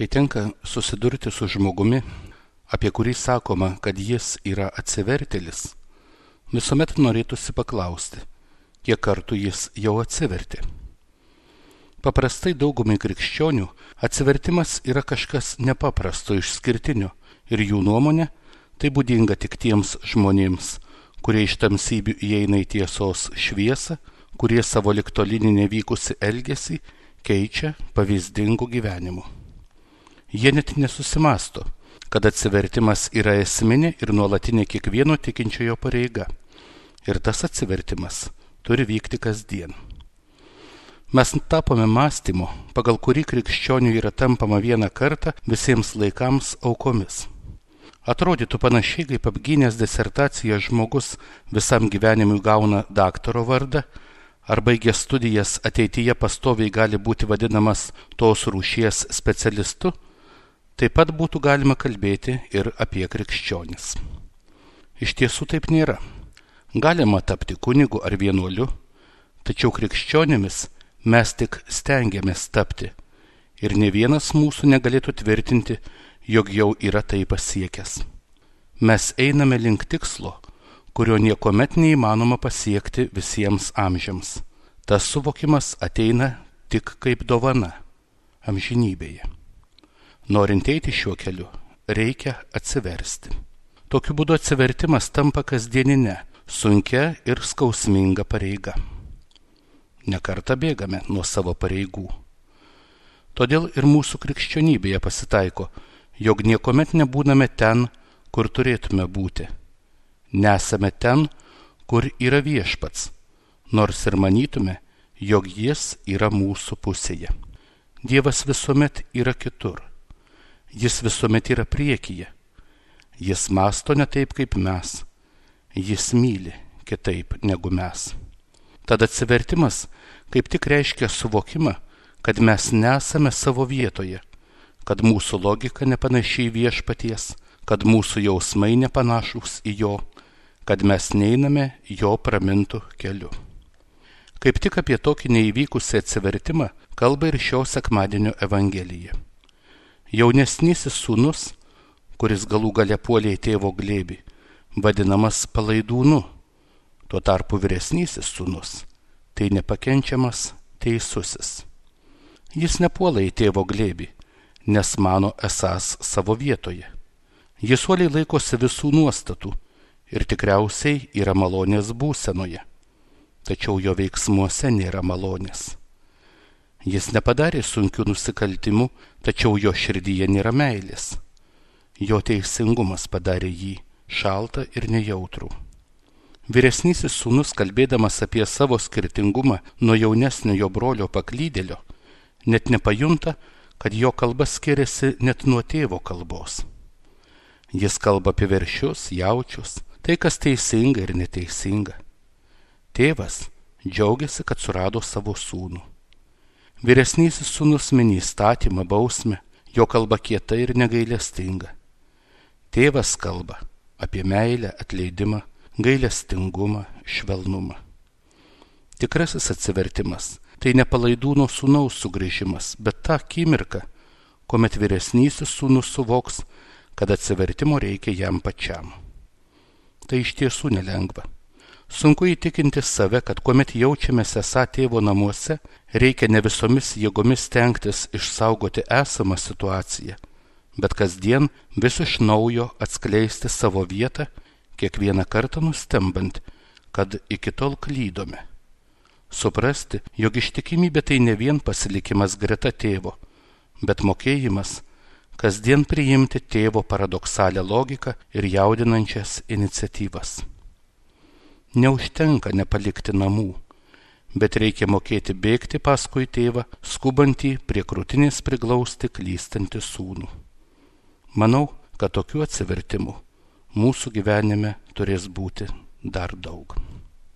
Kai tenka susidurti su žmogumi, apie kurį sakoma, kad jis yra atsivertėlis, visuomet norėtųsi paklausti, kiek kartų jis jau atsivertė. Paprastai daugumai krikščionių atsivertimas yra kažkas nepaprasto, išskirtinio ir jų nuomonė tai būdinga tik tiems žmonėms, kurie iš tamsybių įeina į tiesos šviesą, kurie savo ligtolinį nevykusi elgesį keičia pavyzdingu gyvenimu. Jie net nesusimąsto, kad atsivertimas yra esminė ir nuolatinė kiekvieno tikinčiojo pareiga. Ir tas atsivertimas turi vykti kasdien. Mes tapome mąstymu, pagal kurį krikščionių yra tampama vieną kartą visiems laikams aukomis. Atrodytų panašiai, kaip apgynęs disertaciją žmogus visam gyvenimui gauna daktaro vardą, ar baigęs studijas ateityje pastoviai gali būti vadinamas tos rūšies specialistu, taip pat būtų galima kalbėti ir apie krikščionis. Iš tiesų taip nėra. Galima tapti kunigu ar vienuoliu, tačiau krikščionimis mes tik stengiamės tapti ir ne vienas mūsų negalėtų tvirtinti, jog jau yra tai pasiekęs. Mes einame link tikslo, kurio niekuomet neįmanoma pasiekti visiems amžiams. Tas suvokimas ateina tik kaip dovana amžinybėje. Norint eiti šiuo keliu, reikia atsiversti. Tokiu būdu atsivertimas tampa kasdieninė, sunkia ir skausminga pareiga. Nekartą bėgame nuo savo pareigų. Todėl ir mūsų krikščionybėje pasitaiko, jog niekuomet nebūname ten, kur turėtume būti. Nesame ten, kur yra viešpats, nors ir manytume, jog jis yra mūsų pusėje. Dievas visuomet yra kitur. Jis visuomet yra priekyje. Jis mąsto ne taip kaip mes. Jis myli kitaip negu mes. Tad atsivertimas kaip tik reiškia suvokimą, kad mes nesame savo vietoje, kad mūsų logika nepanaši į viešpaties, kad mūsų jausmai nepanašūs į jo, kad mes neiname jo pramintų keliu. Kaip tik apie tokį neįvykusį atsivertimą kalba ir šio sekmadienio Evangelija. Jaunesnysis sūnus, kuris galų gale puolė į tėvo glėbį, vadinamas palaidūnu. Tuo tarpu vyresnysis sūnus, tai nepakenčiamas teisusis. Jis nepuola į tėvo glėbį, nes mano esąs savo vietoje. Jis uoliai laikosi visų nuostatų ir tikriausiai yra malonės būsenoje, tačiau jo veiksmuose nėra malonės. Jis nepadarė sunkių nusikaltimų, tačiau jo širdyje nėra meilės. Jo teisingumas padarė jį šaltą ir nejautrų. Vyresnysis sūnus, kalbėdamas apie savo skirtingumą nuo jaunesniojo brolio paklydėlio, net nepajunta, kad jo kalba skiriasi net nuo tėvo kalbos. Jis kalba apie veršius, jaučius, tai kas teisinga ir neteisinga. Tėvas džiaugiasi, kad surado savo sūnų. Vyresnysis sūnus mini įstatymą, bausmę, jo kalba kieta ir negailestinga. Tėvas kalba apie meilę, atleidimą, gailestingumą, švelnumą. Tikrasis atsivertimas tai ne palaidūno sūnaus sugrįžimas, bet ta akimirka, kuomet vyresnysis sūnus suvoks, kad atsivertimo reikia jam pačiam. Tai iš tiesų nelengva. Sunku įtikinti save, kad kuomet jaučiamės esą tėvo namuose, reikia ne visomis jėgomis stengtis išsaugoti esamą situaciją, bet kasdien vis iš naujo atskleisti savo vietą, kiekvieną kartą nustembant, kad iki tol klydome. Suprasti, jog ištikimybė tai ne vien pasilikimas greta tėvo, bet mokėjimas kasdien priimti tėvo paradoksalią logiką ir jaudinančias iniciatyvas. Neužtenka nepalikti namų, bet reikia mokėti bėgti paskui tėvą, skubantį prie krūtinės priglausti klystantį sūnų. Manau, kad tokių atsivertimų mūsų gyvenime turės būti dar daug.